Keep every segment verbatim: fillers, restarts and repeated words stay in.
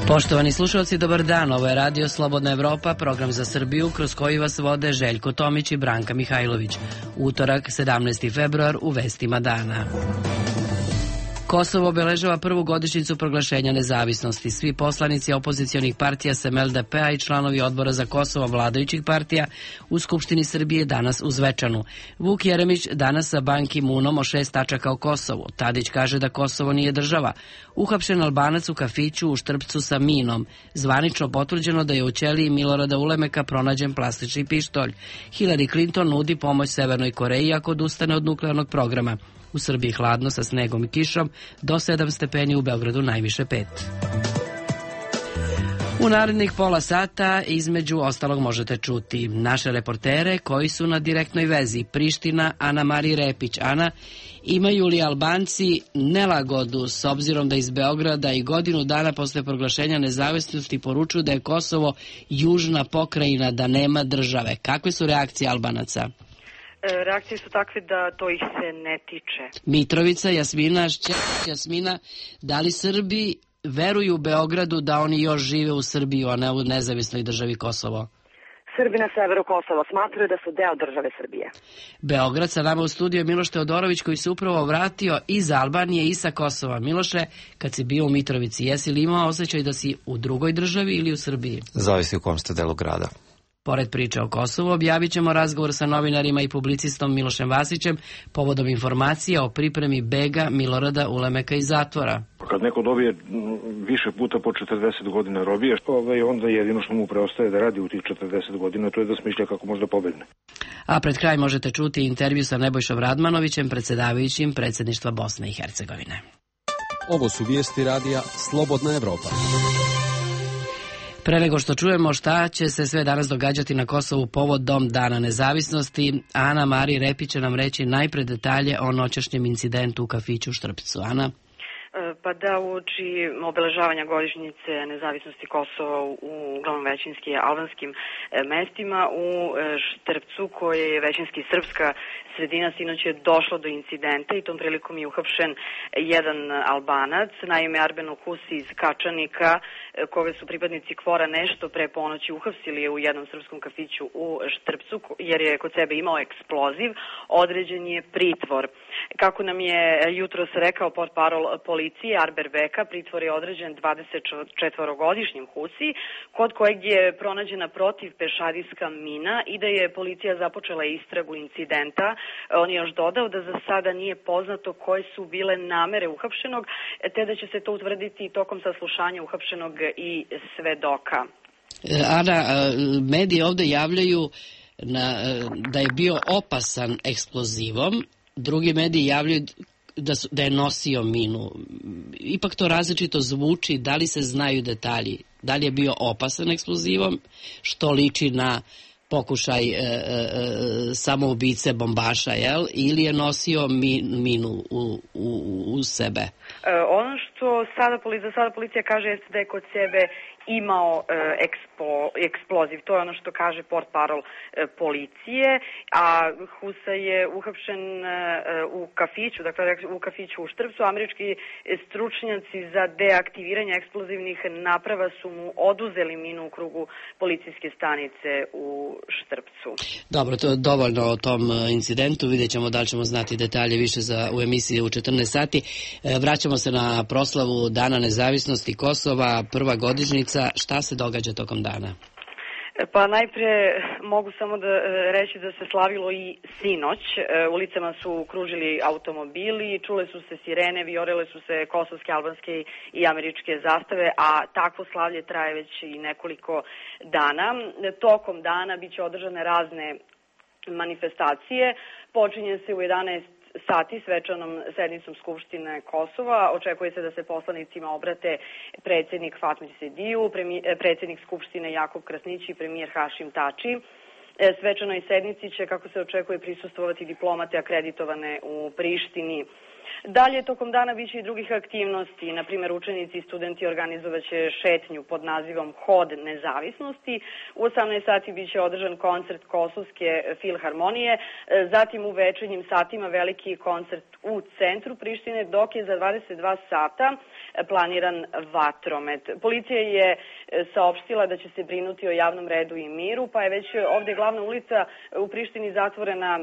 Poštovani slušalci, dobar dan. Ovo je Radio Slobodna Evropa, program za Srbiju, kroz koji vas vode Željko Tomić i Branka Mihajlović. Utorak, sedamnaesti februar, u vestima dana. Kosovo obeležava prvu godišnjicu proglašenja nezavisnosti. Svi poslanici opozicionih partija sem el de pe-a i članovi odbora za Kosovo vladajućih partija u Skupštini Srbije danas u Zvečanu. Vuk Jeremić danas sa Ban Ki-moonom o šest tačaka o Kosovu. Tadić kaže da Kosovo nije država. Uhapšen Albanac u kafiću u Štrpcu sa minom. Zvanično potvrđeno da je u ćeliji Milorada Ulemeka pronađen plastični pištolj. Hillary Clinton nudi pomoć Severnoj Koreji ako odustane od nuklearnog programa. U Srbiji hladno sa snegom i kišom, do sedam stepeni, u Beogradu najviše pet. U narednih pola sata između ostalog možete čuti naše reportere koji su na direktnoj vezi. Priština, Ana Marija Repić. Ana, imaju li Albanci nelagodu s obzirom da iz Beograda i godinu dana posle proglašenja nezavisnosti poručuju da je Kosovo južna pokrajina, da nema države? Kakve su reakcije Albanaca? Reakcije su takve da to ih se ne tiče. Mitrovica, Jasmina, Šćeć, Jasmina, da li Srbi veruju u Beogradu da oni još žive u Srbiji, a ne u nezavisnoj državi Kosovo? Srbi na severu Kosova smatraju da su deo države Srbije. Beograd, sa nama u studiju Miloš Teodorović, koji se upravo vratio iz Albanije i sa Kosova. Miloše, kad si bio u Mitrovici, jesi li imao osjećaj da si u drugoj državi ili u Srbiji? Zavisi u kom ste delu grada. Pored priče o Kosovu, objavit ćemo razgovor sa novinarima i publicistom Milošem Vasićem povodom informacija o pripremi bega Milorada Ulemeka iz zatvora. Kad neko dobije više puta po četrdeset godina robije, onda jedino što mu preostaje da radi u tih četrdeset godina, to je da smišlja kako može da pobegne. A pred kraj možete čuti intervju sa Nebojšom Radmanovićem, predsjedavajućim predsjedništva Bosne i Hercegovine. Ovo su vijesti radija Slobodna Evropa. Pre nego što čujemo šta će se sve danas događati na Kosovu povodom Dana nezavisnosti, Ana Marija Repić će nam reći najpre detalje o noćašnjem incidentu u kafiću u Štrpcu. Ana? Pa da, uoči obeležavanja godišnjice nezavisnosti Kosova u uglavnom većinski albanskim mestima, u Štrpcu, koje je većinski srpska sredina, sinoć je došlo do incidenta i tom prilikom je uhapšen jedan Albanac, naime Arbeno Husi iz Kačanika, koga su pripadnici Kvora nešto pre ponoći uhapsili u jednom srpskom kafiću u Štrpcu, jer je kod sebe imao eksploziv. Određen je pritvor. Kako nam je jutros rekao portparol policije Arber Beka, pritvor je određen dvadesetčetvorogodišnjem Husi, kod kojeg je pronađena protivpešadijska mina i da je policija započela istragu incidenta. On je još dodao da za sada nije poznato koje su bile namere uhapšenog, te da će se to utvrditi tokom saslušanja uhapšenog i svedoka. Ana, mediji ovde javljaju na, da je bio opasan eksplozivom, drugi mediji javljaju da, su, da je nosio minu. Ipak to različito zvuči, da li se znaju detalji? Da li je bio opasan eksplozivom, što liči na pokušaj e, e, samoubice bombaša, jel? Ili je nosio min, minu u, u, u sebe? E, ono što sada, za sada policija kaže jeste da je kod sebe imao e, ekspo, eksploziv. To je ono što kaže portparol e, policije, a Husa je uhapšen e, u kafiću, dakle u kafiću u Štrpcu. Američki stručnjaci za deaktiviranje eksplozivnih naprava su mu oduzeli minu u krugu policijske stanice u Štrpcu. Dobro, to je dovoljno o tom incidentu. Vidjet ćemo da li ćemo znati detalje više za, u emisiji u četrnaest sati. E, vraćamo se na proslavu Dana nezavisnosti Kosova, prva godišnjica. Šta se događa tokom dana? Pa najpre mogu samo da reći da se slavilo i sinoć. Ulicama su kružili automobili, čule su se sirene, vijorele su se kosovske, albanske i američke zastave, a takvo slavlje traje već i nekoliko dana. Tokom dana biće održane razne manifestacije. Počinje se u jedanaest sati svečanom sednicom Skupštine Kosova. Očekuje se da se poslanicima obrate predsjednik Fatmir Sediju, predsjednik Skupštine Jakub Krasnić i premijer Hašim Tači. Svečanoj sednici će, kako se očekuje, prisustvovati diplomate akreditovane u Prištini Dalje, tokom dana biće i drugih aktivnosti. Na primjer, učenici i studenti organizovaće šetnju pod nazivom Hod nezavisnosti. U osamnaest sati biće održan koncert Kosovske filharmonije. Zatim u večernjim satima veliki koncert u centru Prištine, dok je za dvadeset dva sata planiran vatromet. Policija je saopštila da će se brinuti o javnom redu i miru, pa je već ovdje glavna ulica u Prištini zatvorena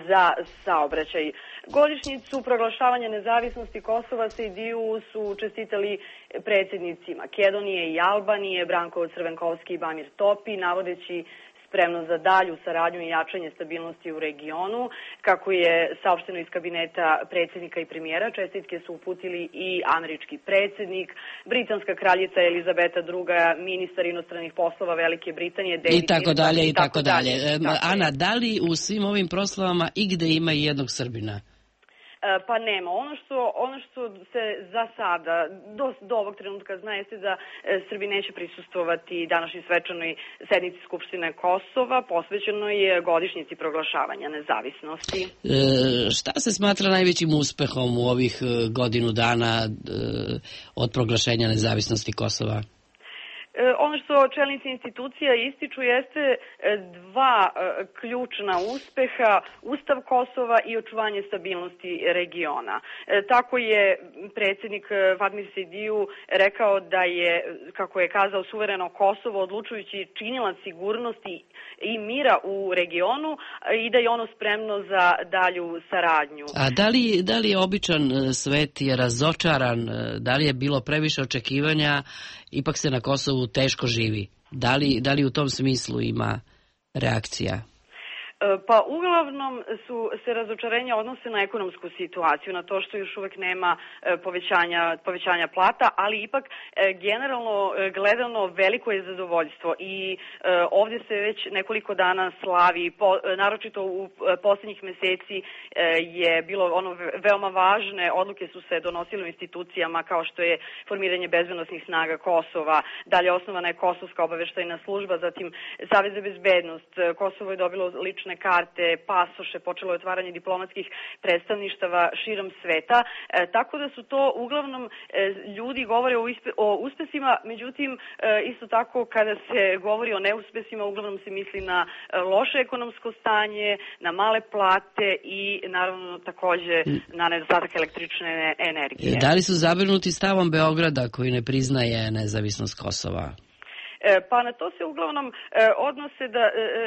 za saobraćaj. Godišnjicu proglašavanja nezavisnosti Kosova Sejdiju su čestitali predsjednici Makedonije i Albanije, Branko Crvenkovski i Bamir Topi, navodeći spremno za dalju saradnju i jačanje stabilnosti u regionu. Kako je saopšteno iz kabineta predsjednika i premijera, čestitke su uputili i američki predsjednik, britanska kraljica Elizabeta druga, ministar inostranih poslova Velike Britanije, David i tako dalje, i tako dalje. dalje. Ana, da li u svim ovim proslavama igde ima i jednog Srbina? Pa nema. Ono što, ono što se za sada, do, do ovog trenutka zna, jeste da Srbi neće prisustvovati današnjoj svečanoj sednici Skupštine Kosova, posvećenoj godišnjici proglašavanja nezavisnosti. E, šta se smatra najvećim uspehom u ovih godinu dana e, od proglašenja nezavisnosti Kosova? Ono što čelnici institucija ističu jeste dva ključna uspeha, Ustav Kosova i očuvanje stabilnosti regiona. Tako je predsjednik Fatmir Sejdiju rekao da je, kako je kazao, suvereno Kosovo odlučujući činilac sigurnosti i mira u regionu i da je ono spremno za dalju saradnju. A da li, da li je običan svet je razočaran, da li je bilo previše očekivanja, ipak se na Kosovu teško živi? Da li, da li u tom smislu ima reakcija? Pa uglavnom su se razočarenja odnose na ekonomsku situaciju, na to što još uvek nema povećanja, povećanja plata, ali ipak generalno gledano veliko je zadovoljstvo i ovdje se već nekoliko dana slavi, naročito u posljednjih meseci je bilo ono veoma važne odluke su se donosile u institucijama kao što je formiranje bezbednosnih snaga Kosova, dalje osnovana je Kosovska obaveštajna služba, zatim Savez za bezbednost, Kosovo je dobilo lične karte, pasoše, počelo je otvaranje diplomatskih predstavništava širom sveta, e, tako da su to uglavnom e, ljudi govore o, ispe, o uspesima, međutim e, isto tako kada se govori o neuspesima uglavnom se misli na e, loše ekonomsko stanje, na male plate i naravno takođe na nedostatak električne energije. Da li su zabrinuti stavom Beograda koji ne priznaje nezavisnost Kosova? Pa na to se uglavnom odnose da,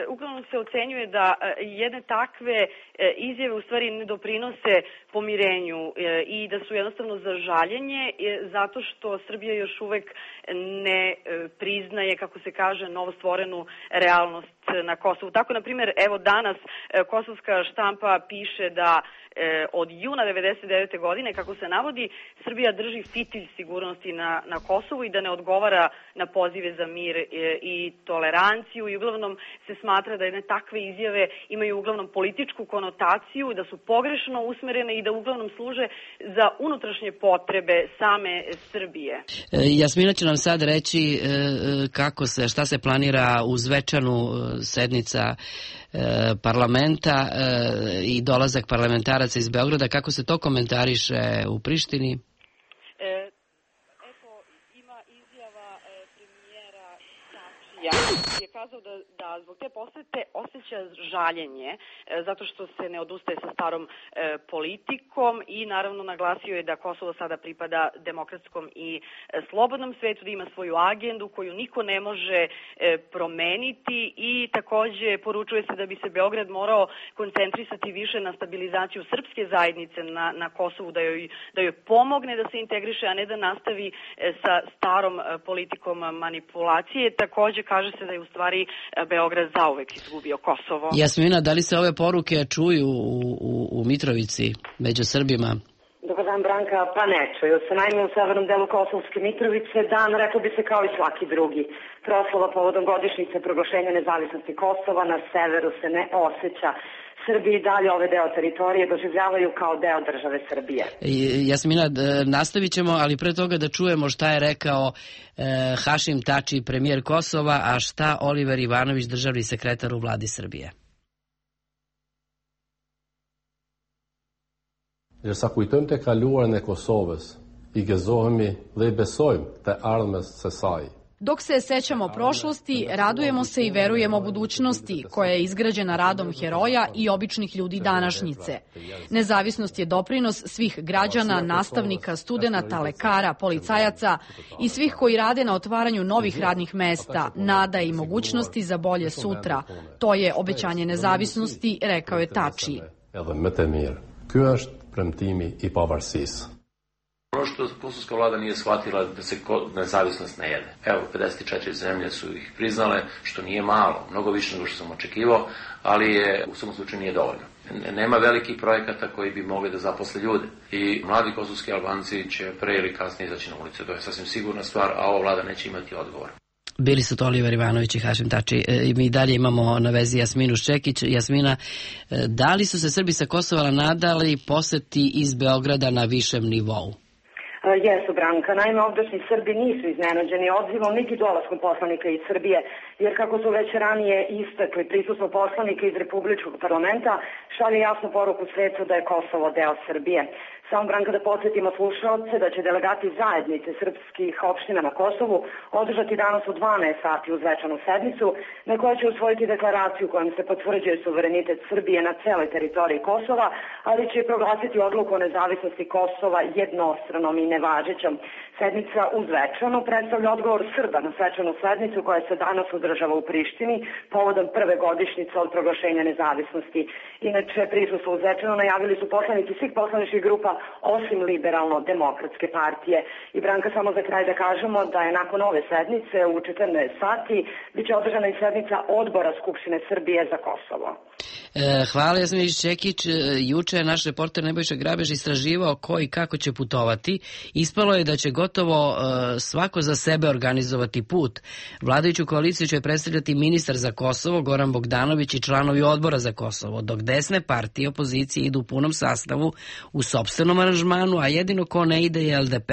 uglavnom se ocenjuje da jedne takve izjave u stvari ne doprinose pomirenju i da su jednostavno za žaljenje zato što Srbija još uvek ne priznaje, kako se kaže, novostvorenu realnost na Kosovu. Tako, na primjer, evo danas kosovska štampa piše da od juna devedeset devete godine, kako se navodi, Srbija drži fitilj sigurnosti na, na Kosovu i da ne odgovara na pozive za mir i toleranciju i uglavnom se smatra da jedne takve izjave imaju uglavnom političku konotaciju, da su pogrešno usmerene i da uglavnom služe za unutrašnje potrebe same Srbije. Jasmina će nam sad reći kako se, šta se planira uz večanu sednica parlamenta i dolazak parlamentaraca iz Beograda, kako se to komentariše u Prištini? E, eto, ima izjava e, premijera Tačija je kazao da, da zbog te posete osjeća žaljenje e, zato što se ne odustaje sa starom e, politikom i naravno naglasio je da Kosovo sada pripada demokratskom i e, slobodnom svetu, da ima svoju agendu koju niko ne može e, promeniti i takođe poručuje se da bi se Beograd morao koncentrisati više na stabilizaciju srpske zajednice na, na Kosovu, da joj, da joj pomogne da se integriše, a ne da nastavi e, sa starom e, politikom manipulacije. Takođe kaže se da je u stvari Beograd zauvek izgubio Kosovo. Jasmina, da li se ove poruke čuju u, u, u Mitrovici među Srbima? Dobar dan, Branka. Pa ne čuju se. Naime, u severnom delu Kosovske Mitrovice dan, rekao bi se kao i svaki drugi. Proslava povodom godišnjice proglašenja nezavisnosti Kosova na severu se ne osjeća. Srbi i dalje ove deo teritorije doživljavaju kao deo države Srbije. Jasmina, nastavit ćemo, ali pre toga da čujemo šta je rekao e, Hašim Tači, premijer Kosova, a šta Oliver Ivanović, državni sekretar u vladi Srbije. Ndërsa kujtojmë të kaluarën e Kosovës, i gëzohemi dhe i besojmë te ardhmës së saj. Dok se sećamo prošlosti, radujemo se i verujemo budućnosti, koja je izgrađena radom heroja i običnih ljudi današnjice. Nezavisnost je doprinos svih građana, nastavnika, studenata, lekara, policajaca i svih koji rade na otvaranju novih radnih mesta, nada i mogućnosti za bolje sutra. To je obećanje nezavisnosti, rekao je Tači. Edhe më të mirë. Ky është premtimi i pavarësisë. Ono što kosovska vlada nije shvatila da se nezavisnost ne jede. Evo, pedeset četiri zemlje su ih priznale, što nije malo, mnogo više nego što sam očekivao, ali je u svakom slučaju nije dovoljno. Nema velikih projekata koji bi mogli da zaposle ljude. I mladi kosovski Albanci će pre ili kasnije izaći na ulice. To je sasvim sigurna stvar, a ova vlada neće imati odgovor. Bili su to Oliver Ivanović i Hašim Tači. E, mi dalje imamo na vezi Jasminu Ščekić. Jasmina, e, da li su se Srbi sa Kosova nadali poseti iz Beograda na višem nivou? Jesu, Branka. Naime, ovdašnji Srbi nisu iznenađeni odzivom niti dolaskom poslanika iz Srbije, jer kako su već ranije istakli, prisustvo poslanika iz Republičkog parlamenta šalje jasnu poruku svetu da je Kosovo deo Srbije. Samo, Branka, da podsjetimo slušalce da će delegati zajednice srpskih opština na Kosovu održati danas u dvanaest sati uz svečanu sednicu na kojoj će usvojiti deklaraciju kojom se potvrđuje suverenitet Srbije na celoj teritoriji Kosova, ali će proglasiti odluku o nezavisnosti Kosova jednostranom i nevažećom. Sednica uz Zvečanu predstavlja odgovor Srba na svečanu sednicu koja se danas održava u Prištini povodom prve godišnjice od proglašenja nezavisnosti. Inače, prisustvo u Zvečanu najavili su poslanici svih poslaničkih grupa osim Liberalno-demokratske partije. I, Branka, samo za kraj da kažemo da je nakon ove sednice u četrnaest sati biće održana i sednica Odbora Skupštine Srbije za Kosovo. E, hvala, Jasmini Ščekić. Juče je naš reporter Nebojša Grabež istraživao ko i kako će putovati. Ispalo je da će gotovo e, svako za sebe organizovati put. Vladajuću koaliciju će predstavljati ministar za Kosovo Goran Bogdanović i članovi Odbora za Kosovo, dok desne partije opozicije idu u punom sastavu u sopstvenom aranžmanu, a jedino ko ne ide je L D P.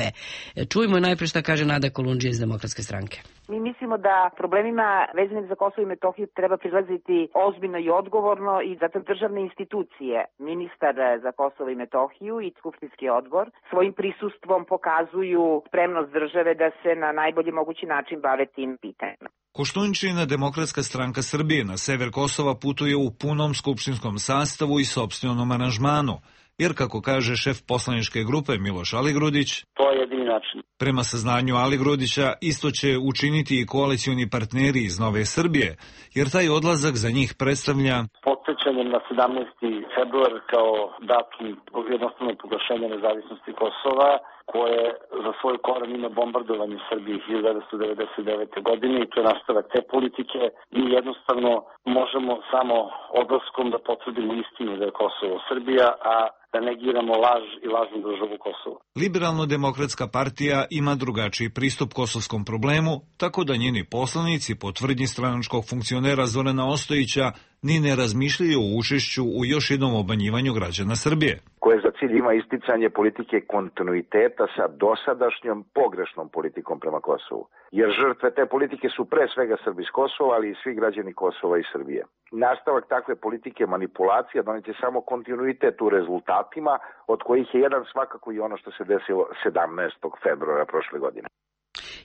E, čujmo najpre šta kaže Nada Kolundžija iz Demokratske stranke. Mi mislimo da problemima vezanim za Kosovo i Metohiju treba prilaziti ozbiljno i odgovorno i zato državne institucije, ministar za Kosovo i Metohiju i Skupštinski odbor, svojim prisustvom pokazuju spremnost države da se na najbolji mogući način bave tim pitanjima. Koštunica Demokratska stranka Srbije na sever Kosova putuje u punom skupštinskom sastavu i sopstvenom aranžmanu, jer kako kaže šef poslaničke grupe Miloš Aligrudić, to je jedini način. Prema saznanju Aligrudića isto će učiniti i koalicioni partneri iz Nove Srbije, jer taj odlazak za njih predstavlja podsjećanje na sedamnaesti februar kao datum jednostavno proglašenja nezavisnosti Kosova, koje za svoj koren ima bombardovanje Srbije hiljadu devetsto devedeset devete. godine i to je nastavak te politike. Mi jednostavno možemo samo odlaskom da potvrdimo istinu da je Kosovo Srbija, a da negiramo laž i lažnu državu Kosovo. Liberalno-demokratska partija ima drugačiji pristup kosovskom problemu, tako da njeni poslanici po tvrdnji stranačkog funkcionera Zorana Ostojića ni ne razmišljaju o učešću u još jednom obmanjivanju građana Srbije, koje za cilj ima isticanje politike kontinuiteta sa dosadašnjom pogrešnom politikom prema Kosovu. Jer žrtve te politike su pre svega Srbi iz Kosova, ali i svi građani Kosova i Srbije. Nastavak takve politike manipulacija doneće samo kontinuitet u rezultatima, od kojih je jedan svakako i ono što se desilo sedamnaestog februara prošle godine.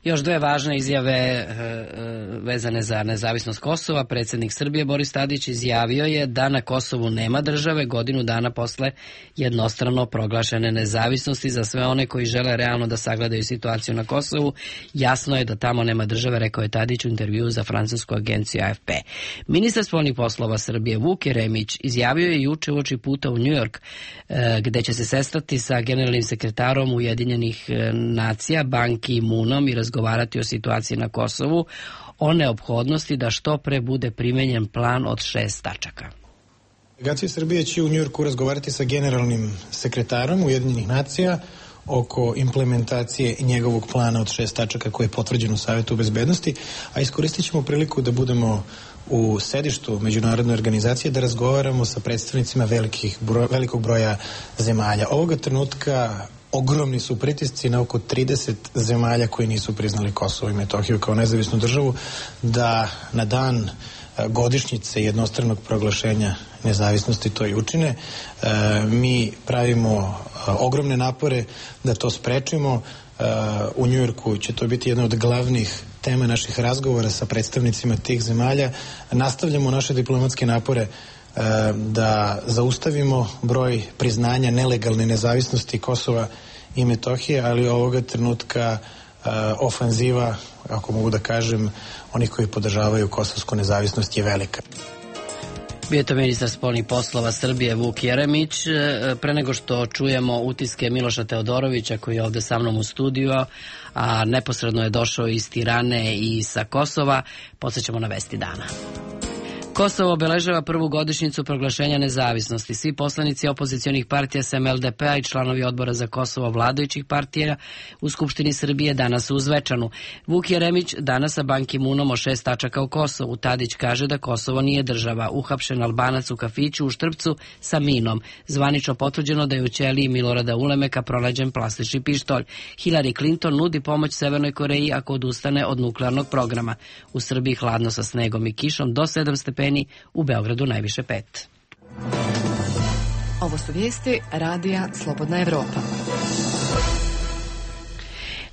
Još dve važne izjave e, vezane za nezavisnost Kosova. Predsjednik Srbije Boris Tadić izjavio je da na Kosovu nema države godinu dana posle jednostrano proglašene nezavisnosti. Za sve one koji žele realno da sagledaju situaciju na Kosovu, jasno je da tamo nema države, rekao je Tadić u intervjuu za francusku agenciju A F P. Ministar spoljnih poslova Srbije Vuk Jeremić izjavio je juče uoči puta u New York, e, gde će se sestati sa generalnim sekretarom Ujedinjenih nacija Ban Ki-moonom i razgovarati o situaciji na Kosovu, o neophodnosti da što pre bude primenjen plan od šest tačaka. Delegacija Srbije će u Njujorku razgovarati sa generalnim sekretarom Ujedinjenih nacija oko implementacije njegovog plana od šest tačaka koji je potvrđen u Savetu bezbednosti, a iskoristit ćemo priliku da budemo u sedištu međunarodne organizacije da razgovaramo sa predstavnicima velikih bro, velikog broja zemalja. Ovoga trenutka ogromni su pritisci na oko trideset zemalja koji nisu priznali Kosovo i Metohiju kao nezavisnu državu, da na dan godišnjice jednostranog proglašenja nezavisnosti to i učine. Mi pravimo ogromne napore da to sprečimo. U Njujorku će to biti jedna od glavnih tema naših razgovora sa predstavnicima tih zemalja. Nastavljamo naše diplomatske napore da zaustavimo broj priznanja nelegalne nezavisnosti Kosova i Metohije, ali ovoga trenutka ofanziva, ako mogu da kažem, onih koji podržavaju kosovsku nezavisnost je velika. Bio je to ministar spoljnih poslova Srbije Vuk Jeremić. Pre nego što čujemo utiske Miloša Teodorovića koji je ovde sa mnom u studiju, a neposredno je došao iz Tirane i sa Kosova, podsjećamo na vesti dana. Kosovo obeležava prvu godišnjicu proglašenja nezavisnosti. Svi poslanici opozicionih partija sem el de pe a i članovi odbora za Kosovo vladajućih partija u Skupštini Srbije danas u Zvečanu. Vuk Jeremić danas sa Ban Ki-moonom o šest tačaka u Kosovu. Tadić kaže da Kosovo nije država. Uhapšen Albanac u kafiću u Štrpcu sa minom. Zvanično potvrđeno da je u ćeliji Milorada Ulemeka pronađen plastični pištolj. Hillary Clinton nudi pomoć Severnoj Koreji ako odustane od nuklearnog programa. U Srbiji hladno sa snegom i kišom do sedam stepeni, u Beogradu najviše pet. Ovo su vijesti Radija Slobodna Evropa.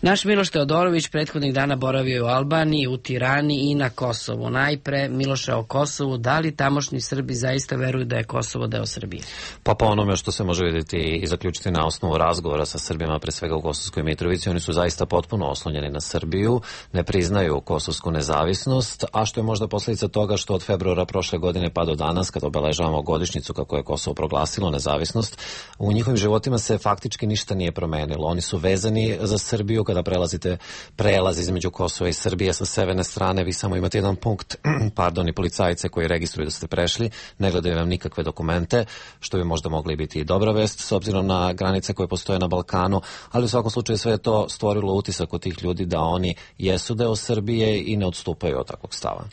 Naš Miloš Teodorović prethodnih dana boravio je u Albaniji, u Tirani i na Kosovu. Najpre, Miloše, o Kosovu, da li tamošnji Srbi zaista veruju da je Kosovo deo Srbije? Pa po onome što se može vidjeti i zaključiti na osnovu razgovora sa Srbima, pre svega u Kosovskoj Mitrovici, oni su zaista potpuno oslonjeni na Srbiju, ne priznaju kosovsku nezavisnost, a što je možda posljedica toga što od februara prošle godine pa do danas, kada obeležavamo godišnjicu kako je Kosovo proglasilo nezavisnost, u njihovim životima se faktički ništa nije promenilo. Oni su vezani za Srbiju. Kada prelazite prelaz između Kosova i Srbije sa severne strane, vi samo imate jedan punkt, pardon, i policajce koji registruju da ste prešli, ne gledaju vam nikakve dokumente, što bi možda mogli biti i dobra vest s obzirom na granice koje postoje na Balkanu, ali u svakom slučaju sve je to stvorilo utisak kod tih ljudi da oni jesu deo Srbije i ne odstupaju od takvog stava.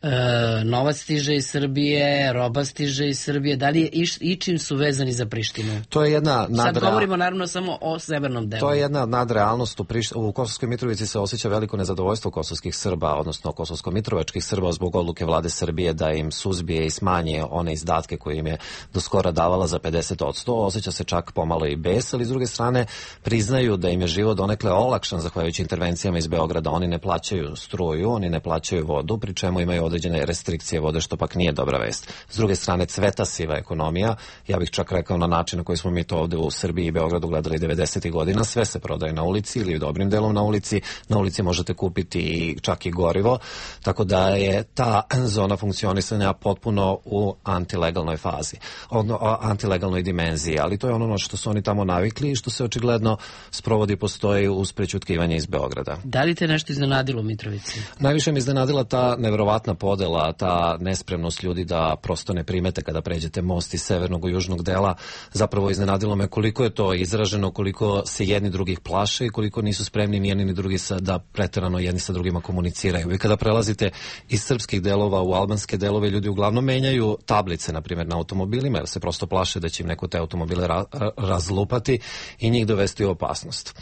E, novac stiže iz Srbije, roba stiže iz Srbije, da li je iš, ičim su vezani za Prištinu? To je jedna nadrea... Sad govorimo naravno samo o severnom delu. To je jedna nadrealnost. U, Prišt... u Kosovskoj Mitrovici se osjeća veliko nezadovoljstvo kosovskih Srba, odnosno kosovsko-mitrovačkih Srba zbog odluke vlade Srbije da im suzbije i smanji one izdatke koje im je do skora davala za pedeset odsto. Osjeća se čak pomalo i bes, ali s druge strane priznaju da im je život donekle olakšan zahvaljujući intervencijama iz Beograda. Oni ne plaćaju struju, oni ne plaćaju vodu, pri čemu imaju određene restrikcije vode, što pak nije dobra vest. S druge strane, cveta siva ekonomija, ja bih čak rekao na način na koji smo mi to ovde u Srbiji i Beogradu gledali devedesetih godina, sve se prodaje na ulici ili dobrim delom na ulici, na ulici možete kupiti čak i gorivo, tako da je ta zona funkcionisanja potpuno u antilegalnoj fazi, odno, antilegalnoj dimenziji, ali to je ono na što su oni tamo navikli i što se očigledno sprovodi, postoji uz prećutkivanje iz Beograda. Da li te nešto iznenadilo u Mitrovici? Najviše mi iznenadila ta neverovatna podela, ta nespremnost ljudi da prosto ne primete kada pređete most iz severnog u južnog dela. Zapravo iznenadilo me koliko je to izraženo, koliko se jedni drugih plaše i koliko nisu spremni ni jedni ni drugi sa, da preterano jedni sa drugima komuniciraju. I kada prelazite iz srpskih delova u albanske delove, ljudi uglavnom menjaju tablice, na primjer, na automobilima, jer se prosto plaše da će im neko te automobile ra razlupati i njih dovesti u opasnost.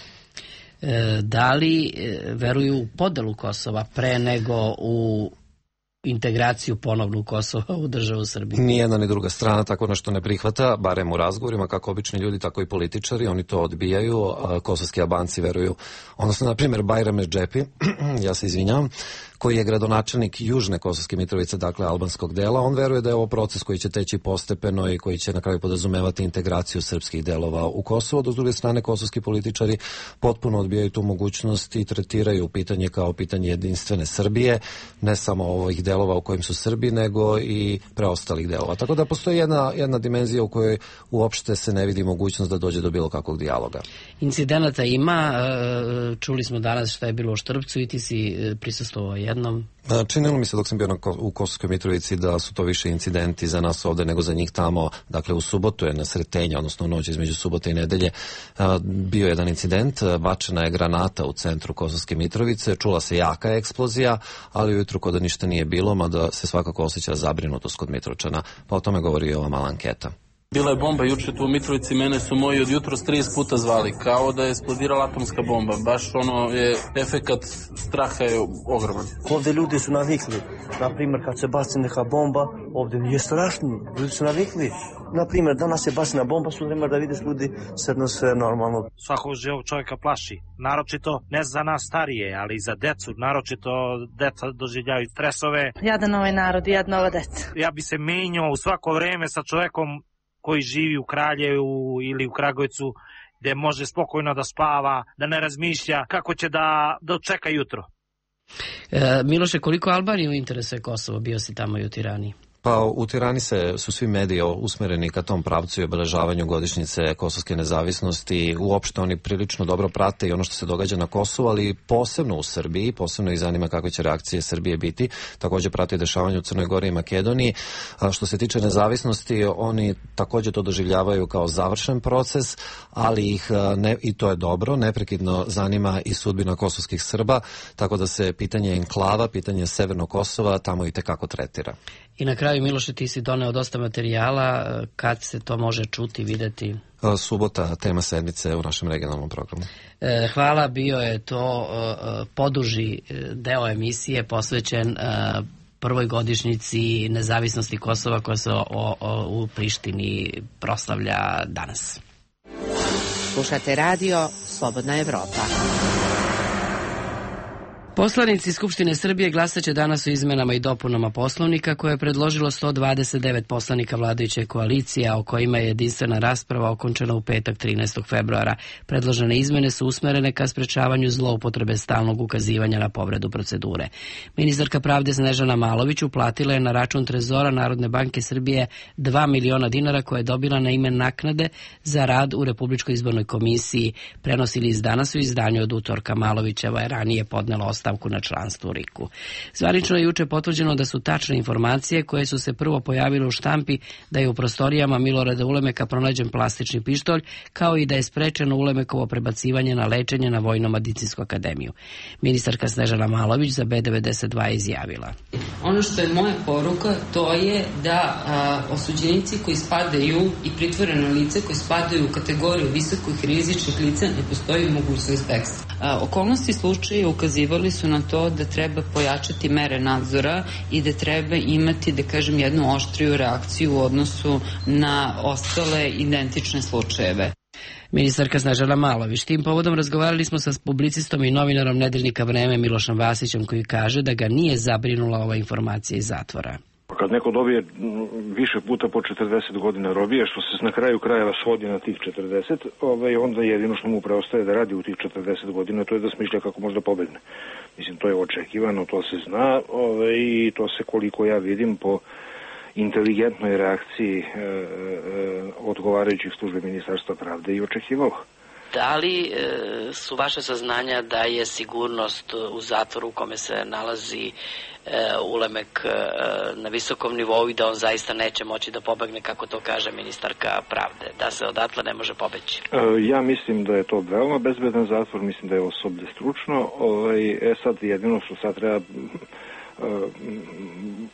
E, da li e, veruju u podelu Kosova pre nego u integraciju ponovnu Kosova u državu Srbije? Nijedna ni druga strana tako nešto ne prihvata, barem u razgovorima, kako obični ljudi, tako i političari, oni to odbijaju. Kosovski Albanci veruju, odnosno, na primjer, Bajram Redžepi, ja se izvinjavam, koji je gradonačelnik južne Kosovske Mitrovice, dakle albanskog dela, on veruje da je ovo proces koji će teći postepeno i koji će na kraju podrazumevati integraciju srpskih delova u Kosovo. Do s druge strane, kosovski političari potpuno odbijaju tu mogućnost i tretiraju pitanje kao pitanje jedinstvene Srbije, ne samo ovih delova u kojim su Srbi, nego i preostalih delova. Tako da postoji jedna, jedna dimenzija u kojoj uopšte se ne vidi mogućnost da dođe do bilo kakvog dijaloga. Incidenata ima, čuli smo danas šta je bilo u Štrpcu i ti si prisustvovao jednom. Činilo mi se dok sam bio na, u Kosovskoj Mitrovici da su to više incidenti za nas ovde nego za njih tamo. Dakle, u subotu je na Sretenja, odnosno u noć između subote i nedelje, bio jedan incident, bačena je granata u centru Kosovske Mitrovice, čula se jaka eksplozija, ali ujutru kod da ništa nije bilo, mada se svakako osjeća zabrinutost kod Mitrovčana, pa o tome govori i ova mala anketa. Bila je bomba juče tu u Mitrovici, mene su moji od jutros trideset puta zvali, kao da je eksplodirala atomska bomba. Baš ono je, efekat straha je ogroman. Ovde ljudi su navikli, na primjer kad se baci neka bomba, ovde nije strašno, ljudi su navikli. Na primjer, danas je bacina bomba, sutra ima da vidiš ljudi sedno sve normalno. Svakog živog čovjeka plaši, naročito ne za nas starije, ali i za decu, naročito deca doživljaju stresove. Jadan ovaj narod, jadna ova deca. Ja bi se menjao u svako vreme sa čovjekom koji živi u Kraljevu ili u Kragujevcu, gde može spokojno da spava, da ne razmišlja kako će da dočeka jutro. E, Miloše, koliko Albaniju interesuje Kosovo? Bio si tamo i u Tirani. Pa u Tirani se, su svi mediji usmereni ka tom pravcu i obeležavanju godišnjice kosovske nezavisnosti. Uopšte oni prilično dobro prate i ono što se događa na Kosovu, ali posebno u Srbiji, posebno ih zanima kakve će reakcije Srbije biti. Također prate dešavanje u Crnoj Gori i Makedoniji. A što se tiče nezavisnosti, oni također to doživljavaju kao završen proces, ali ih, ne, i to je dobro, neprekidno zanima i sudbina kosovskih Srba, tako da se pitanje enklava, pitanje Severnog Kosova tamo i tekako tretira. I na kraju, Miloše, ti si doneo dosta materijala, kad se to može čuti, videti? Subota, tema sedmice u našem regionalnom programu. E, hvala, bio je to e, poduži deo emisije posvećen e, prvoj godišnjici nezavisnosti Kosova koja se o, o, u Prištini proslavlja danas. Slušate radio Slobodna Evropa. Poslanici Skupštine Srbije glasaće danas o izmenama i dopunama Poslovnika koje je predložilo sto dvadeset devet poslanika vladajuće koalicije, a o kojima je jedinstvena rasprava okončena u petak trinaestog februara. Predložene izmene su usmerene ka sprečavanju zloupotrebe stalnog ukazivanja na povredu procedure. Ministarka pravde Snežana Malović uplatila je na račun Trezora Narodne banke Srbije dva miliona dinara koje je dobila na ime naknade za rad u Republičkoj izbornoj komisiji. Prenosili iz danas u izdanju od utorka. Malovićeva je ranije podnela ostavku na članstvo u R I K-u. Zvanično je juče potvrđeno da su tačne informacije koje su se prvo pojavile u štampi da je u prostorijama Milorada Ulemeka pronađen plastični pištolj, kao i da je sprečeno Ulemekovo prebacivanje na lečenje na Vojno-medicinsku akademiju. Ministarka Snežana Malović za B devedeset dva je izjavila: Ono što je moja poruka, to je da a, osuđenici koji spadaju i pritvoreno lice koji spadaju u kategoriju visokih rizičnih lica ne postoji mogućnost bekstva. Okolnosti slučaja ukazivali su na to da treba pojačati mere nadzora i da treba imati, da kažem, jednu oštriju reakciju u odnosu na ostale identične slučajeve. Ministarka Snežana Malović. Tim povodom razgovarali smo sa publicistom i novinarom Nedeljnika Vreme Milošom Vasićem, koji kaže da ga nije zabrinula ova informacija iz zatvora. Kad neko dobije više puta po četrdeset godina robije, što se na kraju krajeva svodi na tih četrdeset, ovaj, onda jedino što mu preostaje da radi u tih četrdeset godina, to je da smišlja kako može da pobegne. Mislim, to je očekivano, to se zna, ovaj, i to se, koliko ja vidim, po inteligentnoj reakciji e, e, odgovarajućih službe Ministarstva pravde i očekivalo. Da li e, su vaše saznanja da je sigurnost u zatvoru u kome se nalazi e, Ulemek e, na visokom nivou i da on zaista neće moći da pobegne, kako to kaže ministarka pravde, da se odatle ne može pobeći? E, ja mislim da je to veoma bezbedan zatvor, mislim da je osoblje stručno. Ovaj, e sad jedino što sad treba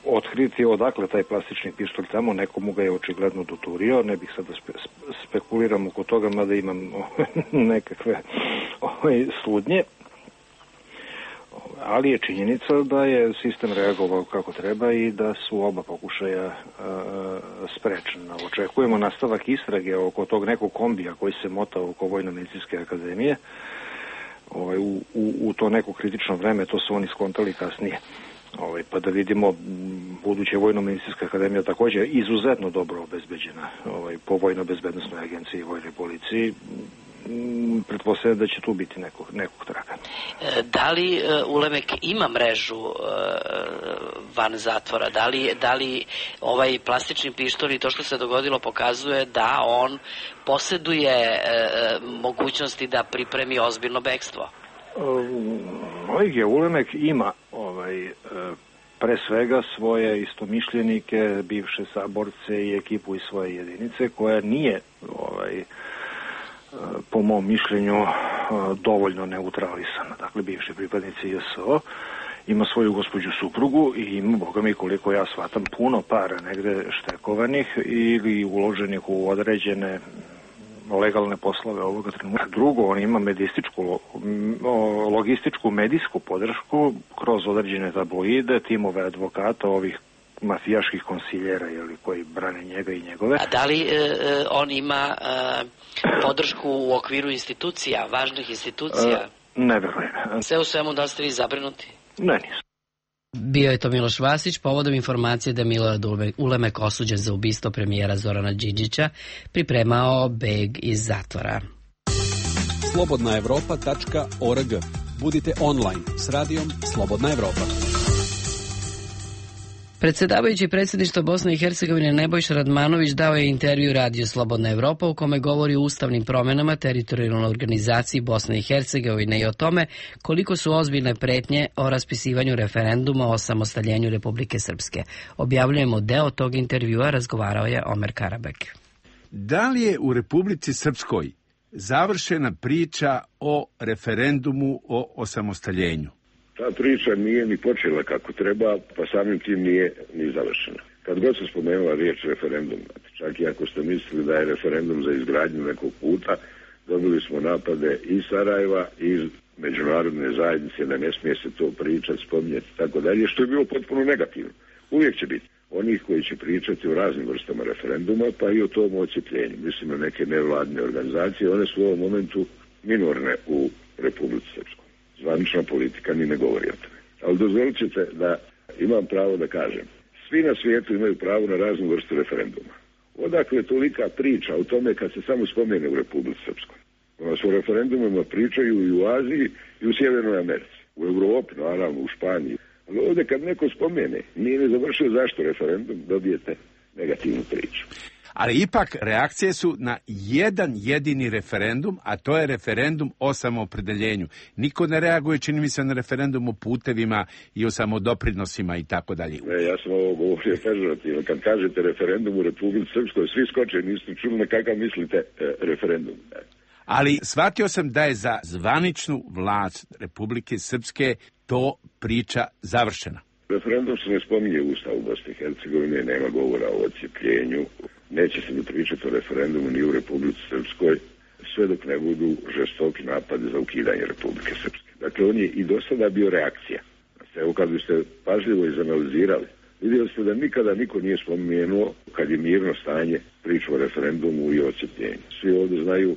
otkriti odakle taj plastični pištolj tamo, nekomu ga je očigledno doturio, ne bih sad da spe, spekuliram oko toga, mada imam nekakve ovaj, slutnje, ali je činjenica da je sistem reagovao kako treba i da su oba pokušaja a, sprečena. Očekujemo nastavak istrage oko tog nekog kombija koji se mota oko Vojno-medicinske akademije. Ovaj, u, u, u to neko kritično vreme, to su oni skontali kasnije. Ovaj, pa da vidimo, buduće Vojno-medicinska akademija također izuzetno dobro obezbeđena ovaj, po Vojno-bezbednosnoj agenciji i Vojnoj policiji. Pretpostavljam da će tu biti nekog, nekog traka. Da li uh, Ulemek ima mrežu uh, van zatvora? Da li, da li ovaj plastični pištolj i to što se dogodilo pokazuje da on posjeduje uh, mogućnosti da pripremi ozbiljno bekstvo? Ovaj Ulemek ima ovaj, pre svega svoje istomišljenike, bivše saborce i ekipu iz svoje jedinice koja nije ovaj, po mom mišljenju dovoljno neutralisana. Dakle, bivši pripadnici J S O ima svoju gospođu suprugu i ima, boga mi, koliko ja shvatam, puno para negde štekovanih ili uloženih u određene legalne poslove ovoga trenutka. Drugo, on ima medističku, logističku, medijsku podršku kroz određene tabloide, timove advokata, ovih mafijaških konsiljera jeli, koji brane njega i njegove. A da li e, on ima e, podršku u okviru institucija, važnih institucija? E, ne verujem. Sve u svemu, da ste vi zabrinuti? Ne, nisam. Bio je to Miloš Vasić povodom informacije da je Milorad Ulemek osuđen za ubistvo premijera Zorana Đinđića, pripremao beg iz zatvora. slobodna evropa tačka org. Budite online s radijom Slobodna Evropa. Predsjedavajući predsjedništva Bosne i Hercegovine Nebojša Radmanović dao je intervju radiju Slobodna Evropa u kome govori o ustavnim promjenama, teritorijalnoj organizaciji Bosne i Hercegovine i o tome koliko su ozbiljne pretnje o raspisivanju referenduma o samostaljenju Republike Srpske. Objavljujemo deo tog intervjua, razgovarao je Omer Karabek. Da li je u Republici Srpskoj završena priča o referendumu o osamostaljenju? Ta priča nije ni počela kako treba, pa samim tim nije ni završena. Kad god se spomenula riječ referendum, čak i ako ste mislili da je referendum za izgradnju nekog puta, dobili smo napade i Sarajeva i međunarodne zajednice da ne smije se to pričati, spominjati i tako dalje, što je bilo potpuno negativno. Uvijek će biti onih koji će pričati o raznim vrstama referenduma, pa i o tom ocijepljenju. Mislim na neke nevladne organizacije, one su u ovom momentu minorne u Republici Srpskoj. Zvanična politika ni ne govori o tome. Ali dozvolit ćete da imam pravo da kažem. Svi na svijetu imaju pravo na raznu vrstu referenduma. Odakle je tolika priča o tome kad se samo spomene u Republici Srpskoj? Ona su o referendumima pričaju i u Aziji i u Sjevernoj Americi. U Europi, naravno, u Španiji. Ali ovdje kad neko spomene, nije ne završio zašto referendum, dobijete negativnu priču. Ali ipak reakcije su na jedan jedini referendum, a to je referendum o samoopredeljenju. Niko ne reaguje, čini mi se, na referendum o putevima i o samodoprinosima i tako dalje. Ne, ja sam ovo govorio pežorativno. Kad kažete referendum u Republici Srpskoj, svi skoče, niste čuli na kakav mislite e, referendum. Ali shvatio sam da je za zvaničnu vlast Republike Srpske to priča završena. Referendum se ne spominje u Ustavu Bosne i Hercegovine, nema govora o ocijepljenju. Neće se ni pričati o referendumu ni u Republici Srpskoj, sve dok ne budu žestoki napadi za ukidanje Republike Srpske. Dakle, on je i do sada bio reakcija. Evo, kad biste pažljivo izanalizirali, vidjeli ste da nikada niko nije spomenuo, kad je mirno stanje, priču o referendumu i ocijepljenju. Svi ovdje znaju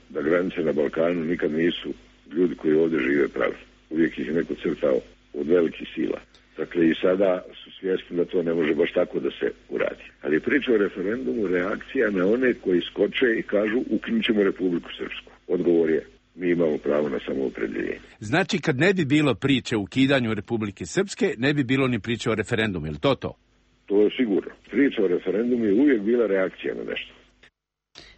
da granice na Balkanu nikad nisu ljudi koji ovdje žive pravi. Uvijek ih je neko crtao od velikih sila. Dakle, i sada su svjesni da to ne može baš tako da se uradi. Ali je priča o referendumu reakcija na one koji skoče i kažu ukinut ćemo Republiku Srpsku. Odgovor je, mi imamo pravo na samoopredjeljenje. Znači, kad ne bi bilo priče o ukidanju Republike Srpske, ne bi bilo ni priče o referendumu, je li to to? To je sigurno. Priča o referendumu je uvijek bila reakcija na nešto.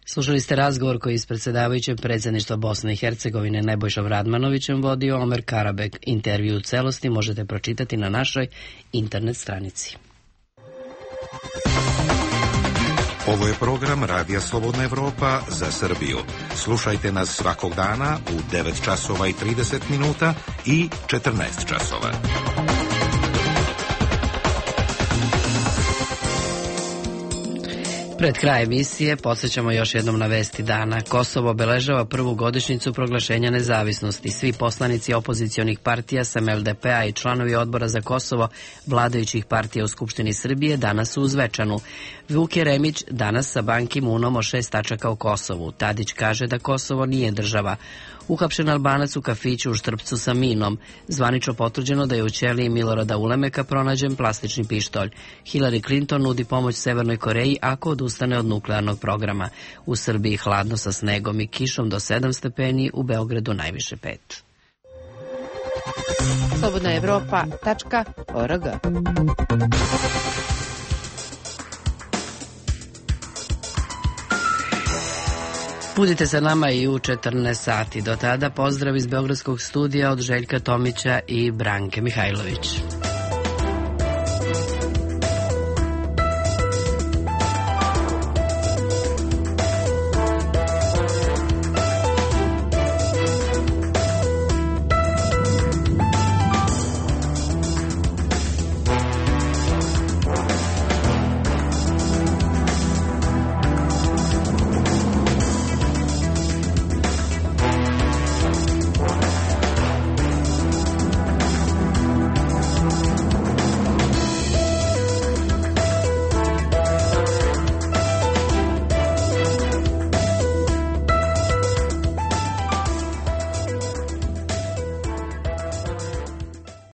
Slušali ste razgovor koji je s predsjedavajućem predsjedništva Bosne i Hercegovine Nebojšom Radmanovićem vodio Omer Karabek. Intervju u celosti možete pročitati na našoj internet stranici. Ovo je program Radija Slobodna Evropa za Srbiju. Slušajte nas svakog dana u devet časova i trideset minuta i četrnaest časova. Pred kraj emisije podsjećamo još jednom na vesti dana. Kosovo obeležava prvu godišnjicu proglašenja nezavisnosti. Svi poslanici opozicionih partija S M L D P-a i članovi odbora za Kosovo vladajućih partija u Skupštini Srbije danas su u Zvečanu. Vuk Jeremić danas sa Ban Ki-moonom o šest tačaka o Kosovu. Tadić kaže da Kosovo nije država. Uhapšen Albanac u kafiću u Štrpcu sa minom. Zvanično potvrđeno da je u ćeliji Milorada Ulemeka pronađen plastični pištolj. Hillary Clinton nudi pomoć Severnoj Koreji ako odustane od nuklearnog programa. U Srbiji hladno sa snegom i kišom do sedam stepeni, u Beogradu najviše pet. slobodna evropa tačka org. Budite sa nama i u četrnaest sati. Do tada pozdrav iz Beogradskog studija od Željka Tomića i Branke Mihajlović.